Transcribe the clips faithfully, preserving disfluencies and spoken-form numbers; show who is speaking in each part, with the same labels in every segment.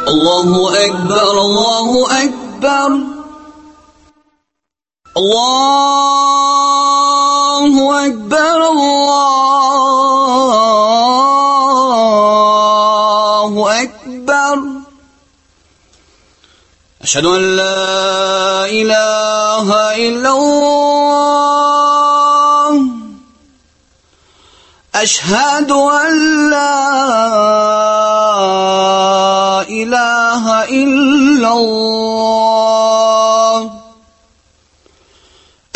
Speaker 1: الله أكبر الله أكبر الله أكبر الله أكبر أشهد أن لا إله إلا الله أشهد أن لا إله إلا الله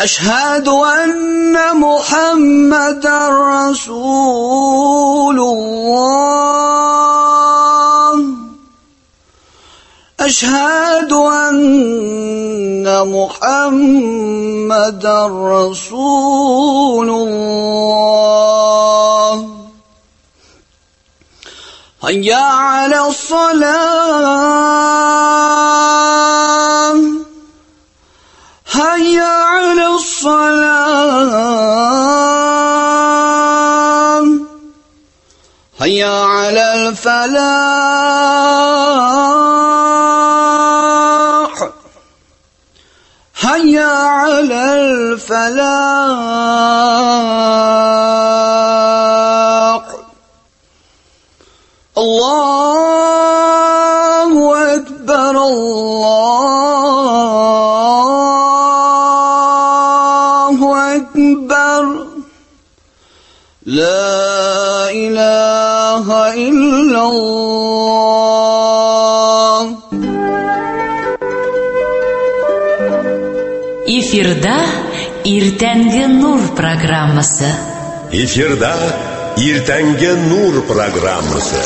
Speaker 1: أشهد أن محمدا رسول الله أشهد أن محمدا رسول الله هيا على الصلاة هيا على الصلاة هيا على الفلاح هيا على الفلاح الله أكبر الله أكبر لا إله إلا الله.
Speaker 2: Эфирда Иртәнге Нур программасы.
Speaker 3: Эфирда Иртәнге Нур программасы.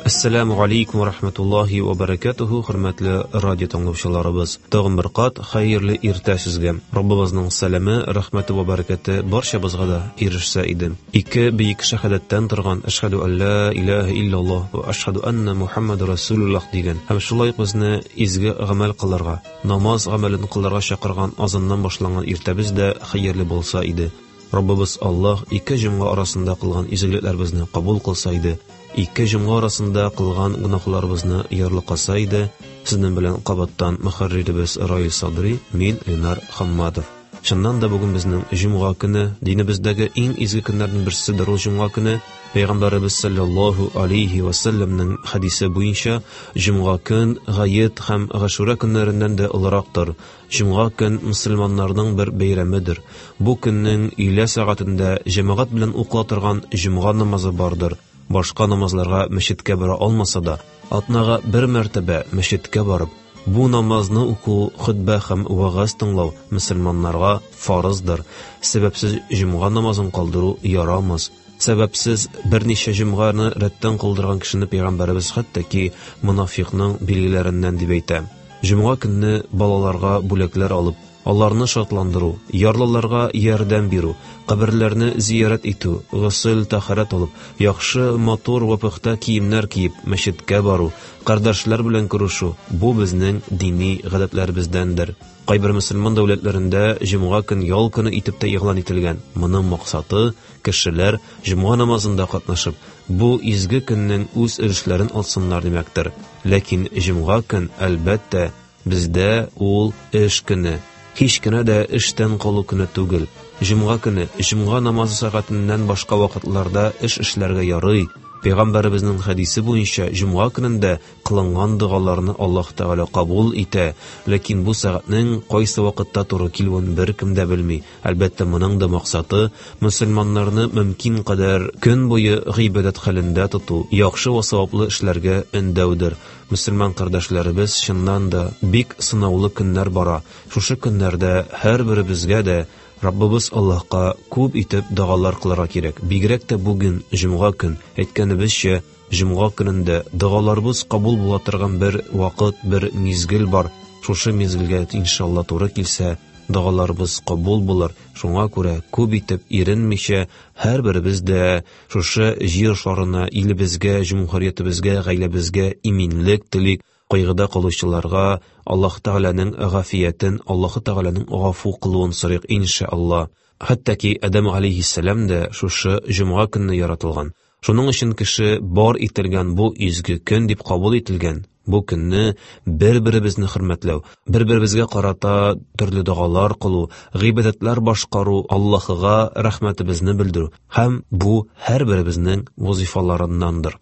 Speaker 4: Ассаламу алейкум ва рахматуллахи ва баракатуху, хөрмәтле радио тыңлаучыларыбыз. Тагын бер кат хәерле иртә сезгә. Раббыбызның сәламе, рәхмәте ва баракаты барчабызга да ирешсә иде. Ике бөек шәһадәттән торган Әшһәду алла илаһа иллаллаһ ва әшһәду анна Мухаммадар Расулуллаһ дигән һәм шулай ук безне изге гамәл кылырга, намаз гамәлен кылырга чакырган азаннан башланган иртәбез дә хәерле булса иде. Раббыбыз Аллаһ ике җомга арасында кылган изгелекләребезне кабул кылса иде. Ике җомга арасында кылган гөнаһларыбызны ярлыкаса иде. Сезнең белән кабаттан мөхәрриребез Раил Садри, мин Ленар Хамматов. Чыннан да бүген безнең җомга көне, динебездәге иң изге көннәрнең берседер ул җомга көне. Пәйгамбәребез саллаллаһу алейхи ва саллямның хадисе буенча җомга көн гает һәм Гашура көннәреннән дә олырактыр. Җомга көн мөселманнарның бер бәйрәмедер. Бу көннең өйлә сәгатендә җәмәгать белән укыла торган җомга намазы бардыр. Башка намазларга мәчеткә бара алмаса да, атнага бер мәртәбә мәчеткә барып, бу намазны уку, хөтбә һәм вәгазь тыңлау мөселманнарга фарыздыр. Сәбәпсез җомга намазын калдыру ярамас. Сәбәпсез берничә җомганы рәттән калдырган кешене пәйгамбәребез хәтта ки монафикның билгеләреннән дип әйтә. Җомга көнне балаларга бүләкләр алып, аларны шатландыру, ярлыларга ярдәм бирү, каберләрне зиярәт итү, госел тәһарәт алып, яхшы, матур ва пөхтә киемнәр киеп, мәчеткә бару, кардәшләр белән күрешү бу безнең дини гадәтләребездәндер. Кайбер мөселман дәүләтләрендә җомга көн ял көне итеп тә игълан ителгән. Моның максаты кешеләр җомга намазында катнашып, бу изге көннең үз өлешләрен алсыннар димәктер. Ләкин җомга көн, әлбәттә, бездә ул эш көне. Һич кенә дә эштән калу көне түгел. Җомга көне, җомга намазы сәгатеннән башка вакытларда эш эшләргә ярый. Пәйгамбәребезнең хәдисе буенча җомга көнендә кылынган догаларны Аллаһ Тәгалә кабул итә. Ләкин бу сәгатьнең кайсы вакытта туры килүен беркем дә белми. Әлбәттә, моның да максаты мөселманнарны мөмкин кадәр көн буе гыйбадәт хәлендә тоту, яхшы ва саваплы эшләргә өндәүдер. Мөселман кардәшләребез, чыннан да бик сынаулы көннәр бара. Шушы көннәрдә һәрберебезгә дә Раббыбыз Аллаһка күп итеп догалар кылырга кирәк. Бигрәк тә бүген җомга көн, әйткәнебезчә, җомга көнендә догаларыбыз кабул була торган бер вакыт, бер мизгел бар. Шушы мизгелгә иншалла туры килсә, Догаларыбыз кабул булыр. Шуңа күрә күп итеп иренмичә һәрберебез дә шушы җир шарына, илебезгә, җөмһүриятебезгә, гаиләбезгә иминлек телик. Кайгыда калучыларга Аллаһ Тәгаләнең гафиятен, Аллаһ Тәгаләнең гафу кылуын сорыйк иншалла. Хәтта ки Адәм алейһиссәлам дә шушы җомга көнне яратылган. Шуның өчен кеше бар ителгән бу изге көн дип кабул ителгән. Бу көнне бер-беребезне хөрмәтләү, бер-беребезгә карата төрле догалар кылу, гыйбадәтләр башкару, Аллаһыга рәхмәтебезне белдерү һәм бу һәрберебезнең вазифаларыннандыр.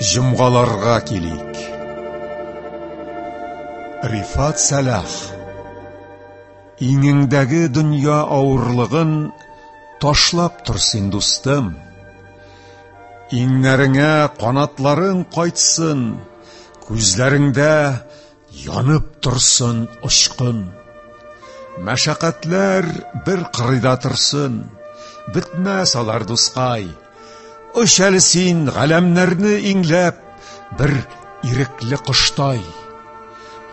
Speaker 5: Җомгаларга килик. Рифат Сәлах. Иңеңдәге дөнья авырлыгын ташлап тор син, дустым. Иңнәреңә канатларың кайтсын, күзләреңдә янып торсын очкын. Мәшәкатьләр бер кырыйда торсын, бетмәс алар, дускай. Оч әле син галәмнәрне иңләп, бер ирекле коштай.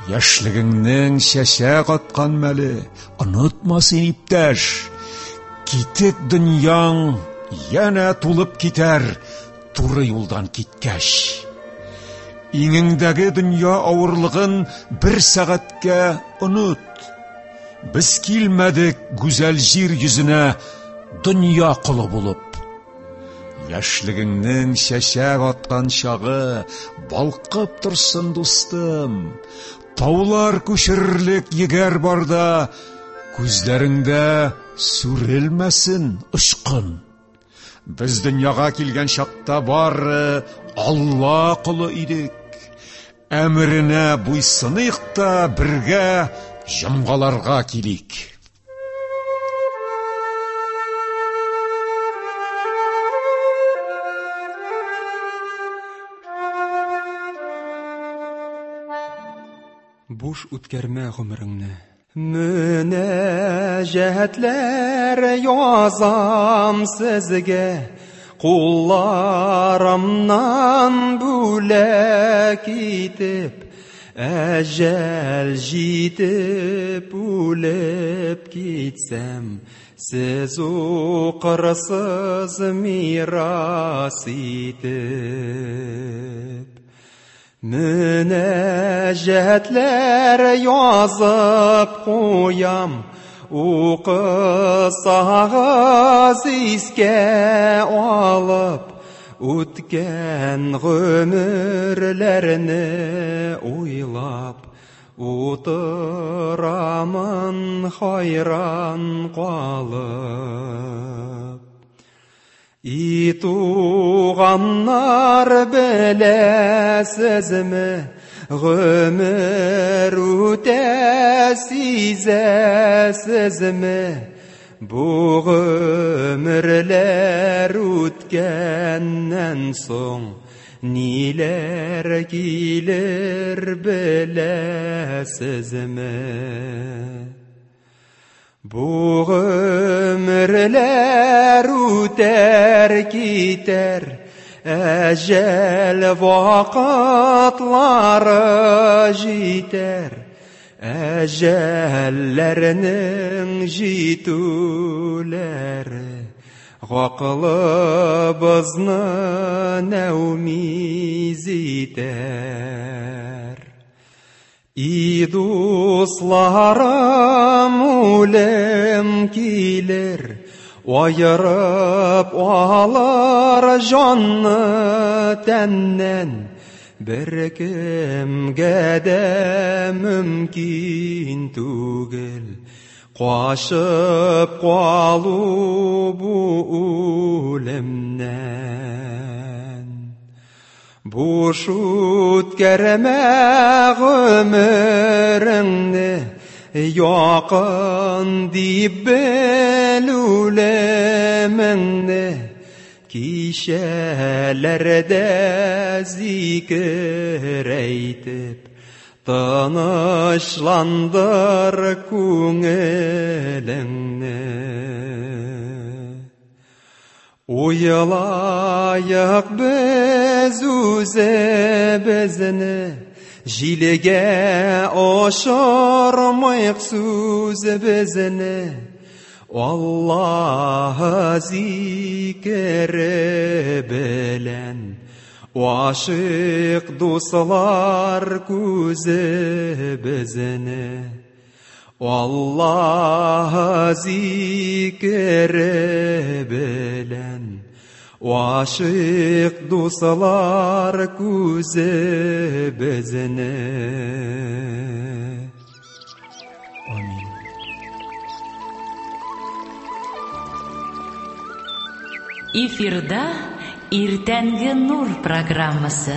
Speaker 5: Яшьлегеңнең чәчәк аткан мәле, онытма син, иптәш. Китек дөньяң янә тулып китәр, туры юлдан киткәч. Иңеңдәге дөнья авырлыгын бер сәгатькә оныт. Без килмәдек гүзәл җир йөзенә дөнья колы булып. Яшьлегеңнең чәчәк аткан чагы балкып торсын, дустым. Таулар күчерерлек егәр барда, күзләреңдә сүрелмәсен очкын. Без дөньяга килгән чакта бары Алла колы идек. Әмеренә буйсыныйк та бергә җомгаларга килик.
Speaker 6: Буш үткәрмә гомереңне. Мөнәҗәтләр язам сезгә, кулларымнан бүләк итеп, әҗәл җитеп үлеп китсәм, сез укырсыз мирас итеп. Мөнәҗәтләр язып куям, укысагыз искә алып, үткән гомерләрне уйлап, утырамын хайран калып. И туганнар, беләсезме, гомер үтә сизәсезме? Бу гомерләр үткәннән соң ниләр килер беләсезме? Бу гомерләр үтәр китәр, әҗәл вакытлары җитәр, әҗәлләрнең җитүләре гакылыбызны нәүмиз итәр. И дусларым, үлем килер, аерып алыр җанны тәннән, бер кемгә дә мөмкин түгел качып калу бу үлемнән. Буш үткәрмә гомереңне, якын дип бел үлемеңне, кичәләрдә зикер әйтеп, тынычландыр күңелеңне. Уйлайык без үзебезне, Җилгә ашырмыйк сүзебезне, Аллаһ зикере белән Ашык дуслар күзебезне, Аллаһ зикере белән Ашык дуслар күзебезне. Амин.
Speaker 2: Эфирда Иртәнге Нур программасы.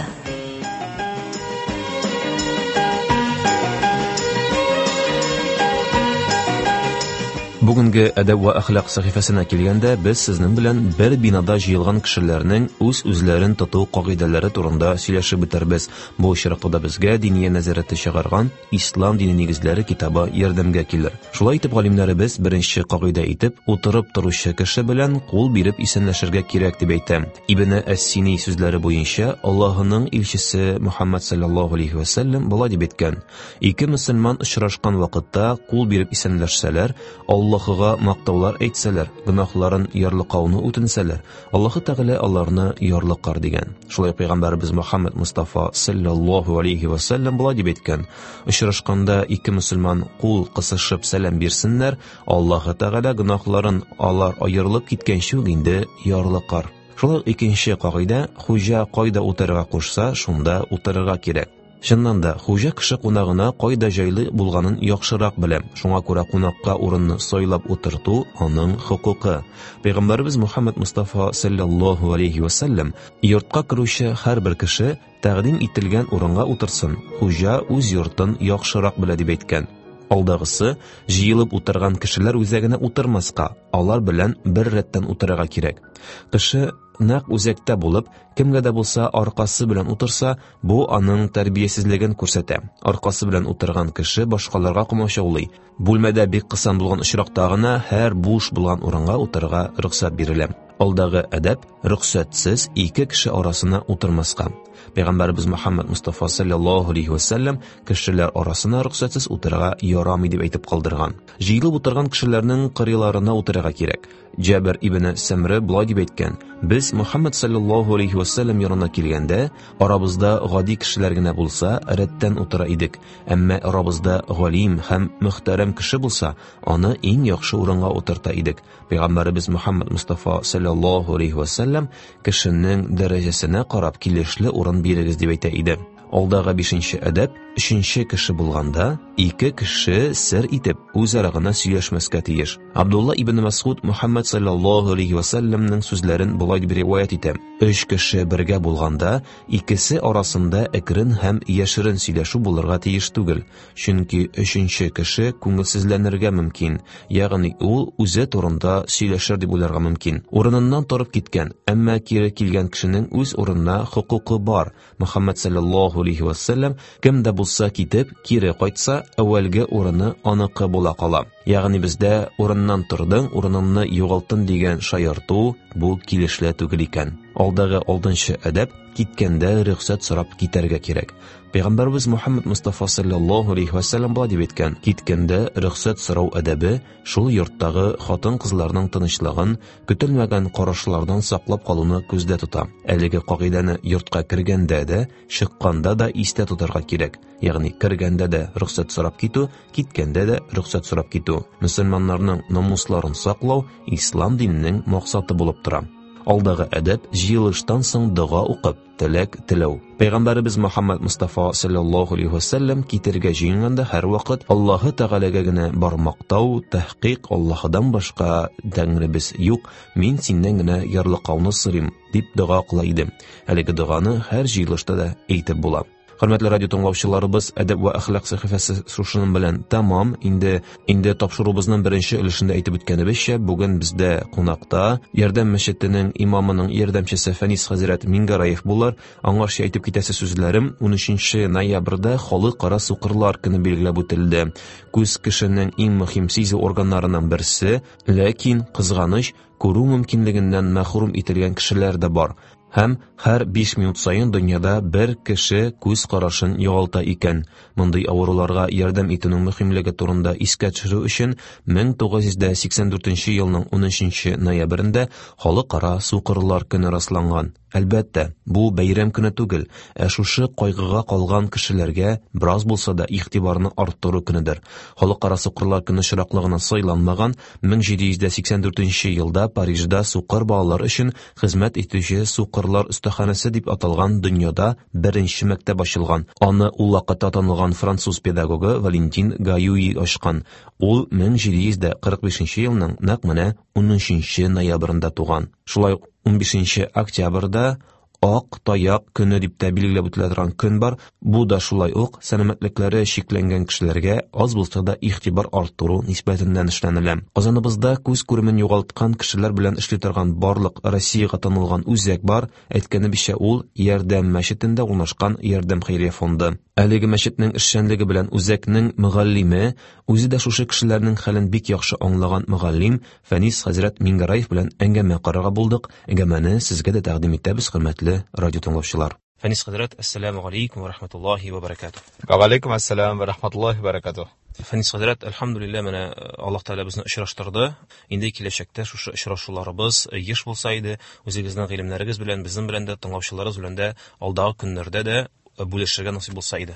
Speaker 4: Бүгенге әдәп вә әхлак сәхифәсенә килгәндә, без сезнең белән бер бинада җыелган кешеләрнең үз-үзләрен тоту кагыйдәләре турында сөйләшеп үтәрбез. Бу очракта да безгә Диния нәзарәте чыгарган Ислам дине нигезләре китабы ярдәмгә килер. Шулай итеп, галимнәребез беренче кагыйдә итеп утырып торучы кеше белән кул биреп исәнләшергә кирәк дип әйтә. Ибне Әс-Сини сүзләре буенча Аллаһының илчесе Мухаммад саллаллаһу алейхи ва саллям болай дип әйткән: ике мөселман очрашкан вакытта кул биреп исәнләшсәләр, Аллаһ Аллаһыга мактаулар әйтсәләр, гөнаһларын ярлыкауны үтенсәләр, Аллаһы Тәгалә аларны ярлыкар дигән. Шулай пәйгамбәребез Мухаммад Мустафа саллаллаһу алейхи ва саллям болай дип әйткән: очрашканда ике мөселман кул кысышып сәлам бирсеннәр, Аллаһы Тәгалә гөнаһларын алар аерылып киткәнче үк инде ярлыкар. Шулай икенче кагыйдә: хуҗа кайда утырырга кушса, шунда утырырга кирәк. Чыннан да, хуҗа кеше кунагына кайда җайлы булганын яхшырак белә. Шуңа күрә кунакка урынны сайлап утырту аның хокукы. Пәйгамбәребез Мухаммад Мустафа саллаллаһу алейхи ва саллям йортка керүче һәрбер кеше тәкъдим ителгән урынга утырсын, хуҗа үз йортын яхшырак белә дип әйткән. Алдагысы, җыелып утырган кешеләр үзәгенә утырмаска, алар белән бер рәттән утырырга кирәк. Кеше нәкъ үзәктә булып, кемгә дә булса аркасы белән утырса, бу аның тәрбиясезлеген күрсәтә. Аркасы белән утырган кеше башкаларга комачаулый. Бүлмәдә бик кысан булган очракта гына һәр буш булган урынга утырырга рөхсәт бирелә. Алдагы әдәп: рөхсәтсез ике кеше арасына утырмаска. Пәйгамбәребез Мухаммад Мустафа саллаллаһу алейхи ва саллям кешеләр арасына рөхсәтсез утырырга ярамый дип әйтеп калдырган. Җыелып утырган кешеләрнең кырыйларына утырырга кирәк. Җабир ибн Сәмре болай дип әйткән: без Мухаммад саллаллаһу алейхи ва саллям янына килгәндә, арабызда гади кешеләр генә булса, рәттән утыра идек. Әмма арабызда галим һәм мөхтәрәм кеше булса, аны иң яхшы урынга утырта идек. Пәйгамбәребез Мухаммад Мустафа саллаллаһу алейхи ва саллям кешенең дәрәҗәсенә карап килешле урын бирегез дип әйтә иде. Алдагы бишенче әдәп: өченче кеше булганда, ике кеше сер итеп үзара гына сөйләшмәскә тиеш. Абдулла ибн Масуд Мухаммад саллаллаһу алейхи ва саллямның сүзләрен болай дип риваять итә: өч кеше бергә булганда, икесе арасында әкрен һәм яшерен сөйләшү булырга тиеш түгел, чөнки өченче кеше күңелсезләнергә мөмкин, ягъни ул үзе турында сөйләшер дип уйларга мөмкин. Урыныннан торып киткән, әмма кире килгән кешенең үз урынына хокукы бар. Мухаммад саллаллаһу алейхи ва саллям кем дә булса китеп, кире кайтса, әүвәлге урыны аныкы була кала. Ягъни бездә урыннан тордың, урыныңны югалттың дигән шаярту бу килешле түгел икән. Алдагы алтынчы әдәп: киткәндә рөхсәт сорап китәргә кирәк. Пәйгамбәребез Мухаммад Мустафа саллаллаһу алейхи ва саллям болай дип әйткән: киткәндә рөхсәт сорау әдәбе шул йорттагы хатын-кызларның тынычлыгын, көтелмәгән карашлардан саклап калуны күздә тота. Әлеге кагыйдәне йортка кергәндә дә, чыкканда да истә тотарга кирәк. Ягъни кергәндә дә рөхсәт сорап китү, киткәндә дә рөхсәт сорап китү. Мөселманнарның намусларын саклау ислам диненең максаты булып тора. Алдагы әдәп: җыелыштан соң дога укып, теләк теләү. Пәйгамбәребез Мухаммад Мустафа саллаллаһу алейхи ва саллям китергә җыенганда һәрвакыт Аллаһы Тәгаләгә генә бар мактау, тәхкыйк Аллаһыдан башка тәңребез юк, мин синнән генә ярлыкауны сорыйм дип дога кыла иде. Әлеге доганы һәр җыелышта да әйтеп була. Хөрмәтле радио тыңлаучыларыбыз, әдәп вә әхлак сәхифәсе шушының белән тәмам. Инде инде тапшыруыбызның беренче өлешендә әйтеп үткәнебезчә, бүген бездә кунакта Ярдәм мәчетенең имамының ярдәмчесе Фәнис хәзрәт Мингараев булыр. Аңарча әйтеп китәсе сүзләрем: унөченче ноябрьдә Халыкара сукырлар көне билгеләп үтелде. Күз кешенең иң мөһим сизү органнарының берсе, ләкин кызганыч, күрү мөмкинлегеннән мәхрүм ителгән кешеләр дә бар. Һәм һәр биш минут саен дөньяда бер кеше күз карашын югалта икән. Мондый авыруларга ярдәм итүнең мөһимлеге турында искә төшерү өчен мең тугыз йөз сиксән дүртенче елның унөченче ноябрендә Халыкара сукырлар көне расланган. Әлбәттә, бу бәйрәм көне түгел, ә шушы кайгыга калган кешеләргә бераз булса да игътибарны арттыру көнедер. Халыкара сукырлар көне очраклыгына сайланмаган. Мең җиде йөз сиксән дүртенче елда Парижда сукыр балалар өчен хезмәт итүче сукырлар остаханәсе дип аталган дөньяда беренче мәктәп ачылган. Аны ул вакытта танылган француз педагогы Валентин Гаюи ачкан. Ул мең җиде йөз кырык бишенче елның нәкъ менә унөченче ноябрендә туган. Шулай ук унбишенче октябрьдә Ак таяк көне дип тә билгеләп үтелә торган көн бар. Бу да шулай ук сәламәтлекләре чикләнгән кешеләргә аз булса да игътибар арттыру нисбәтеннән эшләнелә. Казаныбызда күз күремен югалткан кешеләр белән эшли торган барлык Россиягә танылган үзәк бар. Әйткәнебезчә, ул Ярдәм мәчетендә урнашкан Ярдәм хәйрия фонды. Әлеге мәчетнең эшчәнлеге белән үзәкнең мөгаллиме, үзе дә шушы кешеләрнең хәлен бик яхшы аңлаган мөгаллим Фәнис хәзрәт Мингараев белән әңгәмә карарга булдык. Әңгәмәне сезгә дә тәкъдим итәбез, хөрмәтле радио тыңлаучылар. Фәнис хәзрәт, ассаламу алейкум ва рахматуллахи ва баракатух.
Speaker 7: Ва алейкум ассалам ва рахматуллахи ва баракатух.
Speaker 4: Фәнис хәзрәт, әлхәмдүлилләһ, менә Аллаһ Тәгалә безне очраштырды. Инде киләчәктә шушы очрашуларыбыз еш булса иде, үзегезнең гыйлемнәрегез белән, безнең белән дә, тыңлаучыларыбыз белән дә алдагы көннәрдә дә бүлешергә насыйп булса иде.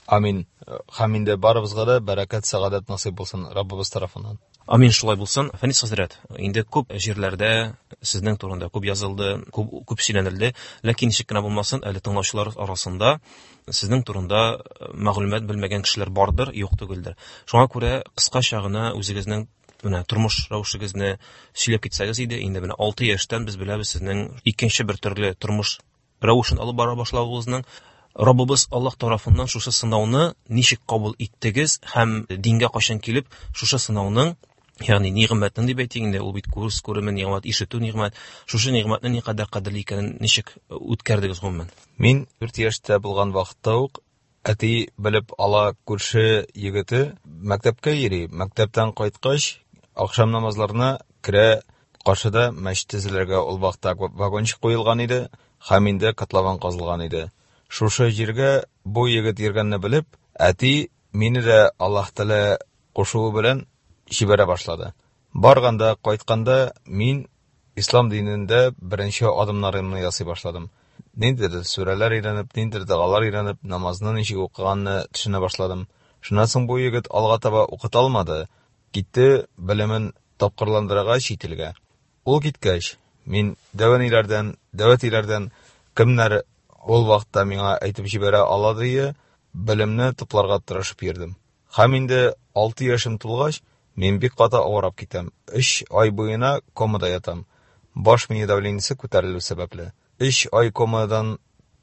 Speaker 7: Амин. Һәм инде барыбызга да бәрәкәт, сәгадәт насыйп булсын Раббыбыз тарафыннан.
Speaker 4: Амин, шулай булсын. Фәнис хәзрәт, инде күп җирләрдә сезнең турында күп язылды, күп, күп сөйләнелде, ләкин ничек кенә булмасын, әле тыңлаучылар арасында сезнең турында мәгълүмат белмәгән кешеләр бардыр, юк түгелдер. Шуңа күрә кыскача гына үзегезнең менә тормыш рәвешегезне сөйләп китсәгез иде. Инде менә алты яшьтән без беләбез сезнең икенче бер төрле тормыш рәвешен алып бара башлавыгызның. Раббыбыз Аллаһ тарафыннан шушы сынауны ничек кабул иттегез һәм дингә кайчан килеп шушы сынауның, ягъни нигъмәтен дип әйтик инде, ул бит күз күреме нигъмәт, ишетү нигъмәт, шушы нигъмәтне никадәр кадерле икәнен ничек үткәрдегез гомумән?
Speaker 7: Мин дүрт яшьтә булган вакытта ук әти белеп ала, күрше егете мәктәпкә йөри. Мәктәптән кайткач, ахшам намазларына керә, каршыда мәчет төзелергә ул вакытта вагончик куелган иде һәм инде котлован казылган иде. Шушы җиргә бу егет йөргәнне белеп, әти мине дә Аллаһ Тәгалә кушуы белән җибәрә башлады. Барганда, кайтканда мин ислам динендә беренче адымнарымны ясый башладым. Ниндидер сүрәләр өйрәнеп, ниндидер догалар өйрәнеп, намазны ничек укыганны төшенә башладым. Шуннан соң бу егет алга таба укыта алмады. Китте белемен тапкырландырырга чит илгә. Ул киткәч, мин дәвәниләрдән, дәвәтиләрдән кемнәр ул вакытта миңа әйтеп җибәрә ала дие, белемне тупларга тырышып йөрдем. Һәм инде алты яшем тулгач, мин бик каты авырап китәм. Өч ай буена комада ятам. Баш мие давлениесе күтәрелү сәбәпле. Өч ай комадан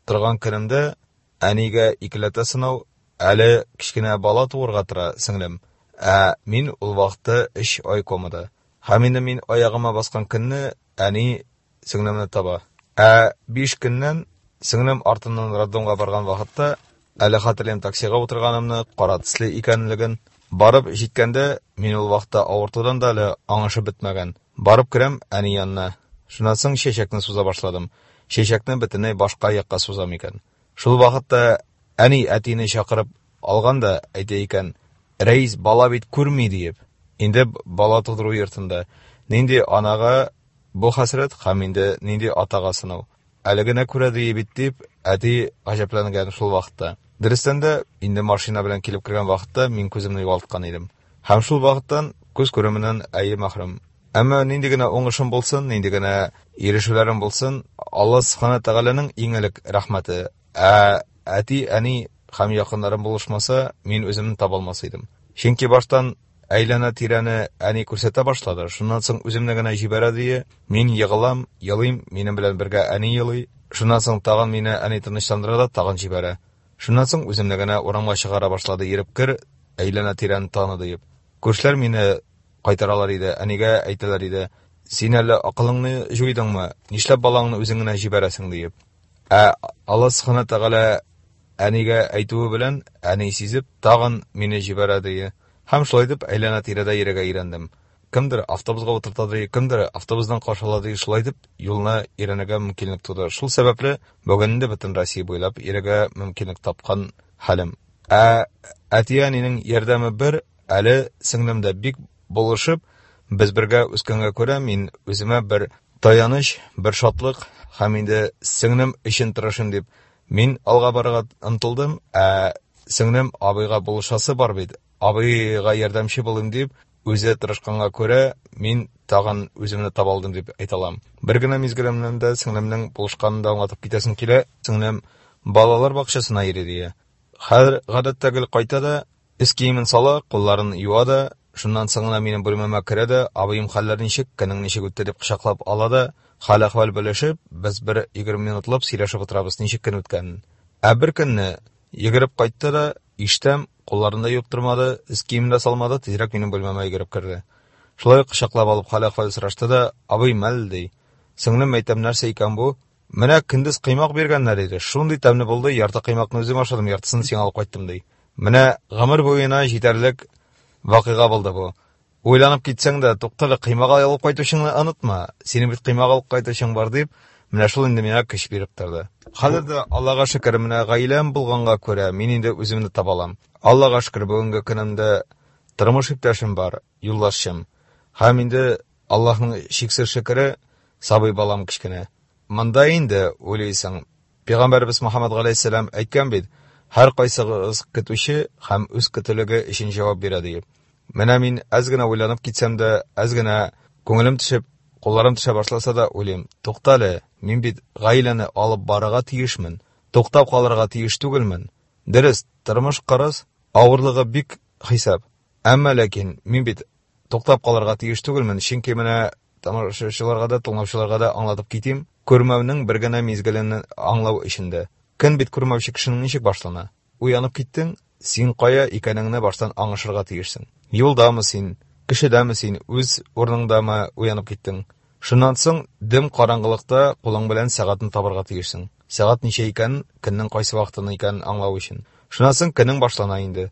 Speaker 7: торган көнемдә әнигә икеләтә сынау, әле кечкенә бала туырга тора сеңлем. Ә мин ул вакытта өч ай комада. Һәм инде мин аягыма баскан көнне әни сеңлемне таба. Ә биш көннән сеңлем артыннан роддомга барган вакытта әле хәтерлим таксига утырганымны, кара төсле икәнлеген. Барып җиткәндә мин ул вакытта авыртудан да әле аңышып бетмәгән. Барып керәм әни янына. Шуннан соң чәчәкне суза башладым. Чәчәкне бөтенләй башка якка сузам икән. Шул вакытта әни әтине чакырып алган да әйтә икән: "Рәис, бала бит күрми" диеп. Инде бала тудыру йортында нинди анага бу хәсрәт һәм инде нинди атага сынау. Әле генә күрә ди бит дип, әти гаҗәпләнгән шул вакытта. Дөрестән дә, инде машина белән килеп кергән вакытта мин күземне югалткан идем. Һәм шул вакыттан күз күременнән әйе мәхрүм. Әмма нинди генә уңышым булсын, нинди генә ирешүләрем булсын, Аллаһ Субхана Тәгаләнең иң элек рәхмәте. Ә әти, әни һәм якыннарым булышмаса, мин үземне таба алмас идем. Чөнки баштан әйләнә тирәне әни күрсәтә башлады. Шуннан соң үземне генә җибәрә дие, мин егылам, елыйм, минем белән бергә әни елый. Шуннан соң тагын мине әни тынычландыра да тагын җибәрә. Шуннан соң үземне генә урамга чыгара башлады, йөреп кер, әйләнә тирәне таны диеп. Күршеләр мине кайтаралар иде, әнигә әйтәләр иде: "Син әллә акылыңны җуйдыңмы? Нишләп балаңны үзең генә җибәрәсең?" диеп. Ә Аллаһ Субхана Тәгалә әнигә әйтүе белән әни сизеп тагын мине җибәрә дие. Һәм шулай итеп әйләнә тирәдә йөрергә өйрәндем. Кемдер автобусга утырта ди, кемдер автобустан каршы ала ди. Шулай итеп юлны өйрәнергә мөмкинлек туды. Шул сәбәпле бүген инде бөтен Россия буйлап йөрергә мөмкинлек тапкан хәлем. Ә әти-әнинең ярдәме бер, әле сеңлем дә бик булышып, без бергә үскәнгә күрә мин үземә бер таяныч, бер шатлык һәм инде сеңлем өчен тырышым дип мин алга барырга омтылдым. Ә сеңлем абыйга булышасы бар бит, абыйга ярдәмче булыйм дип үзе тырышканга күрә мин тагын үземне таба алдым дип әйтә алам. Бер генә мизгелемнән дә сеңлемнең булышканын да аңлатып китәсем килә. Сеңлем балалар бакчасына йөри дия. Хәзер гадәттә гел кайта да, өс киемен сала, кулларын юа да, шуннан соң гына минем бүлмәмә керә дә, абыем хәлләр ничек, көнең ничек үтте дип кочаклап ала да, хәл-әхвәл белешеп, без бер егерме минутлап сөйләшеп утырабыз, ничек көн үткәнен. Ә бер көнне йөгереп кайтты да, иштәм, кулларын да юып тормады, өс киемен дә салмады, тизрәк минем бүлмәмә йөгереп керде. Шулай кочаклап алып хәл-әхвәл сорашты да, абый мәл ди. Сеңлем әйтәм, нәрсә икән бу? Менә көндез кыймак биргәннәр иде. Шундый тәмле булды, ярты кыймакны үзем ашадым, яртысын сиңа алып кайттым ди. Менә гомер буена җитәрлек вакыйга булды бу. Уйланып китсәң дә, туктале, кыймак алып кайтучыңны онытма. Синең бит кыймак алып кайтучың бар дип, менә шул инде миңа көч биреп торды. Хәзер дә Аллага шөкер, менә гаиләм булганга күрә мин инде үземне таба алам. Аллага шөкер, бүгенге көнемдә тормыш иптәшем бар, юлдашым. Һәм инде Аллаһның чиксез шөкере, сабый балам кечкенә. Монда инде уйлыйсың, Пәйгамбәрбез Мөхәммәд галәйһиссәлам әйткән бит, һәр кайсыгыз көтүче һәм үз көтүлеге өчен җавап бирә диеп. Менә мин әз генә уйланып китсәм дә, әз генә күңелем төшеп, кулларым төшә башласа да уйлыйм, туктале, мин бит гаиләне алып барырга тиешмен, туктап калырга тиеш түгелмен. Дөрес, тормыш кырыс, авырлыгы бик хисап. Әмма ләкин мин бит туктап калырга тиеш түгелмен, чөнки менә тамашачыларга да, тыңлаучыларга да аңлатып китим, күрмәүнең бер генә мизгелен аңлау эчендә. Көн бит күрмәүче кешенең ничек башлана? Уянып киттең, син кая икәнеңне баштан аңышырга тиешсең. Юлдамы син, кешедәме син, үз урыныңдамы уянып киттең? Шуннан соң дөм караңгылыкта кулың белән сәгатен табырга тиешсең. Сәгать ничә икәнен, көннең кайсы вакытын икәнен аңлау өчен. Шуннан соң көнең башлана инде.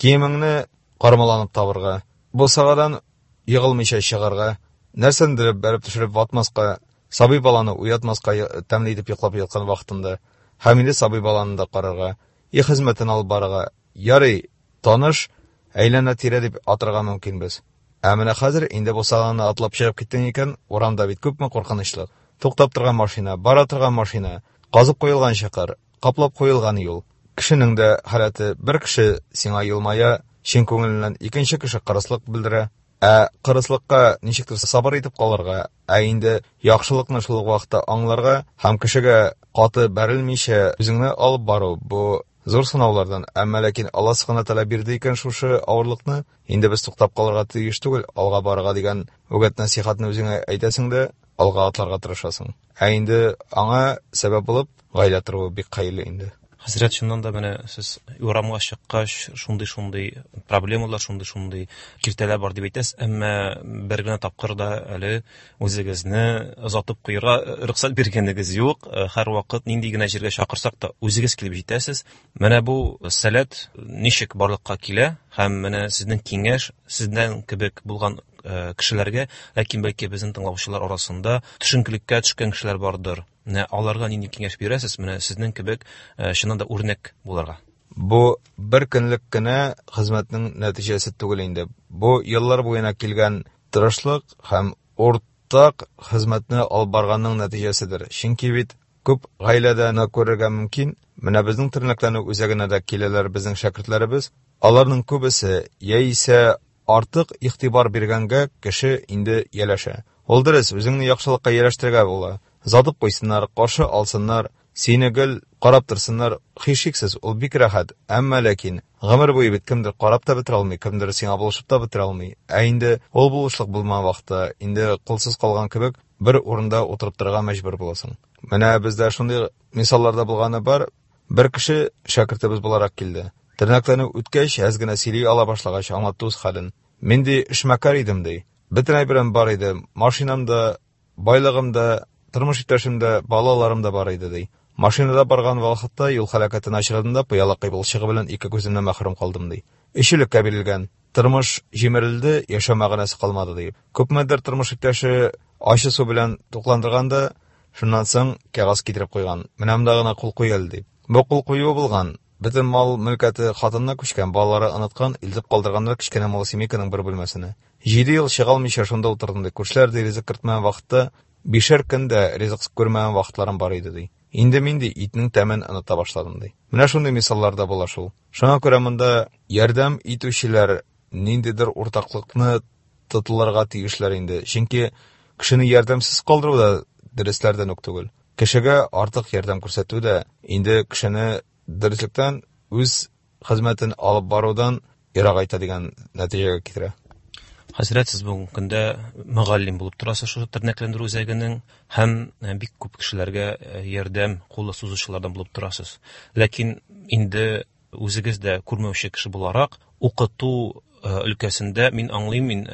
Speaker 7: Киемеңне кармаланып табырга, бусагадан егылмыйча чыгарга, нәрсәндер бәреп төшереп ватмаска, сабый баланы уятмаска, тәмле итеп йоклап яткан вакытында, һәм инде сабый баланы да карарга, өй хезмәтен алып барырга. Ярый, таныш, әйләнә-тирә дип атырга мөмкинбез. Ә менә хәзер инде бусаганы атлап чыгып киттең икән, урамда бит күпме куркынычлык. Туктап торган машина, бара торган машина, казып куелган чокыр, каплап куелган юл. Кешенең дә халәте, бер кеше сиңа елмая, чын күңеленнән, икенче кеше кырыслык белдерә. Ә кырыслыкка ничектер сабыр итеп калырга, ә инде яхшылыкны шул ук вакытта аңларга һәм кешегә каты бәрелмичә үзеңне алып бару бу зур сынаулардан. Әмма ләкин Алла Субхана Тәгалә бирде икән шушы авырлыкны, инде без туктап калырга тиеш түгел, алга барырга дигән үгет нәсихәтне үзеңә әйтәсең дә, алга атларга тырышасың. Ә инде аңа сәбәп булып гаилә торуы бик хәерле инде.
Speaker 4: Хәзрәт, чыннан да менә сез урамга чыккач, шундый-шундый проблемалар, шундый-шундый киртәләр бар дип әйтәсез, әмма бер генә тапкыр да әле үзегезне озатып куярга рөхсәт биргәнегез юк. Һәрвакыт нинди генә җиргә чакырсак та үзегез килеп җитәсез. Менә бу сәләт ничек барлыкка килә һәм менә сезнең киңәш сездән кебек булган кешеләргә, ләкин бәлки безнең тыңлаучылар арасында төшенкелеккә төшкән кешеләр бардыр. Менә аларга нинди киңәш бирәсез? Менә сезнең кебек чыннан да үрнәк булырга.
Speaker 7: Бу бер көнлек кенә хезмәтнең нәтиҗәсе түгел инде. Бу еллар буена килгән тырышлык һәм уртак хезмәтне алып барганның нәтиҗәседер. Чөнки бит күп гаиләдә аны күрергә мөмкин. Менә безнең тернәкләнү үзәгенә дә киләләр безнең шәкертләребез. Аларның күбесе яисә артык игътибар биргәнгә кеше инде ияләшә. Ул дөрес, үзеңне яхшылыкка ияләштерергә була. Затып куйсыннар, каршы алсыннар, сине гел карап торсыннар, һичшиксез, ул бик рәхәт. Әмма ләкин гомер буе бит кемдер карап та бетерә алмый, кемдер сиңа булышып та бетерә алмый. Ә инде ул булышлык булмаган вакытта, инде кулсыз калган кебек бер урында утырып торырга мәҗбүр буласың. Менә бездә шундый мисалларда булганы бар. Бер кеше шәкертебез буларак килде. Тернәкләнү үткәч, әз генә сөйли ала башлагач, аңлатты үз хәлен. Мин ди эшмәкәр идем ди. Бөтен әйберем бар иде. Машинам да, байлыгым да, тормыш иптәшем дә, балаларым да бар иде ди. Машинада барган вакытта юл һәлакәтенә очрадым да, пыяла кыйбылчыгы белән ике күземнән мәхрүм калдым ди. Өч элеккә бирелгән. Тормыш җимерелде, яшәү мәгънәсе калмады дип. Күпмедер тормыш иптәше ачы су белән тукландырган да, шуннан соң кәгазь китереп куйган. Менә монда гына кул куй әле дип. Бу кул кую булган. Бөтен мал мөлкәте хатынына күчкән, балалары оныткан, илтеп калдырганнар кечкенә малосемейканың бер бүлмәсенә. Җиде ел чыга алмыйча шунда утырдым ди. Күршеләр ди ризык кертмәгән вакытта бишәр көн дә ризык күрмәгән вакытларым бар иде ди. Инде мин ди итнең тәмен оныта башладым ди. Менә шундый мисаллар да була шул. Шуңа күрә монда ярдәм итүчеләр ниндидер уртаклыкны тотылырга тиешләр инде. Чөнки кешене ярдәмсез калдыру да дәресләрдән үк түгел. Кешегә артык ярдәм күрсәтү дә инде кешене дөреслектән үз хезмәтен алып барудан ерагайта дигән нәтиҗәгә китерә.
Speaker 4: Хәзрәт, сез бүгенге көндә мөгаллим булып торасыз шушы тернәкләндерү үзәгенең һәм бик күп кешеләргә ярдәм кулы сузучылардан булып торасыз. Ләкин инде үзегез дә күрмәүче кеше буларак укыту өлкәсендә мин аңлыйм, мин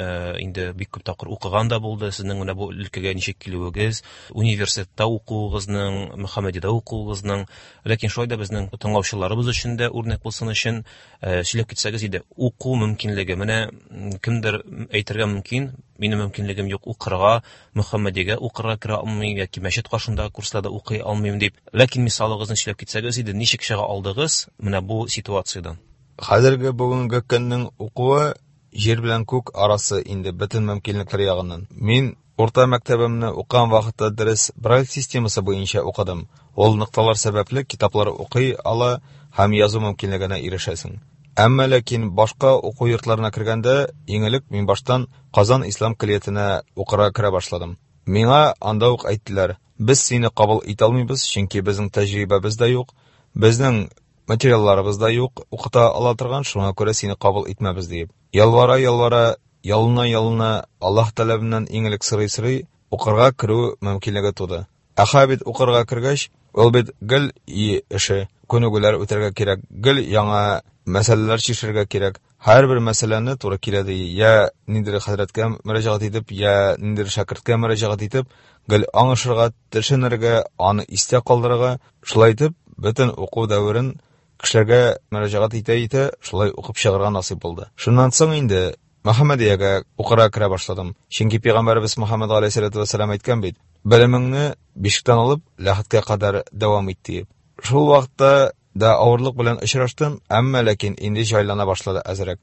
Speaker 4: инде бик күп тапкыр укыган да булды. Сезнең менә бу өлкәгә ничек килүегез, университетта укуыгызның, Мөхәммәдиядә укуыгызның, ләкин шулай да безнең тыңлаучыларыбыз өчен дә үрнәк булсын өчен сөйләп китсәгез иде. Уку мөмкинлеге, менә кемдер әйтергә мөмкин, минем мөмкинлегем юк укырга, Мөхәммәдиягә укырга керә алмыйм яки мәчет каршындагы курсларда укый алмыйм дип. Ләкин мисалыгызны сөйләп китсәгез иде, ничек чыга алдыгыз менә бу ситуациядән?
Speaker 7: Хәзерге бүгенге көннең укуы җир белән күк арасы инде бөтен мөмкинлекләр ягыннан. Мин урта мәктәбемне укыган вакытта дөрес Брайль системасы буенча укыдым. Ул нокталар сәбәпле китаплар укый ала һәм язу мөмкинлегенә ирешәсең. Әмма ләкин башка уку йортларына кергәндә, иң элек мин баштан Казан ислам көллиятенә укырга керә башладым. Миңа анда ук әйттеләр: "Без сине кабул итә алмыйбыз, чөнки безнең тәҗрибәбез дә юк, безнең материалларыбыз да юк, укыта ала торган, шуңа күрә сине кабул итмәбез" диеп. Ялвара, ялвара, ялына, ялына, Аллаһ таләбеннән иң элек сорый-сорый укырга керү мөмкинлеге туды. Ә бит укырга кергәч, ул бит гел и эше, күнегүләр үтәргә кирәк, гел яңа мәсьәләләр чишәргә кирәк. Һәрбер мәсьәләне туры килә ди, я ниндидер хәзрәткә мөрәҗәгать итеп, я ниндидер шәкерткә мөрәҗәгать итеп, гел аңышырга, төшенергә, аны истә калдырырга, шулай итеп бөтен уку дәверен кешеләргә мөрәҗәгать итә-итә шулай укып чыгарга насыйп булды. Шуннан соң инде Мөхәммәдиягә укырга керә башладым. Чөнки пәйгамбәребез Мөхәммәд галәйһиссәлату вәссәлам әйткән бит: "Белемеңне бишектән алып ләхеткә кадәр дәвам ит" диеп. Шул вакытта да авырлык белән очраштым, әмма ләкин инде җайлана башлады әзрәк.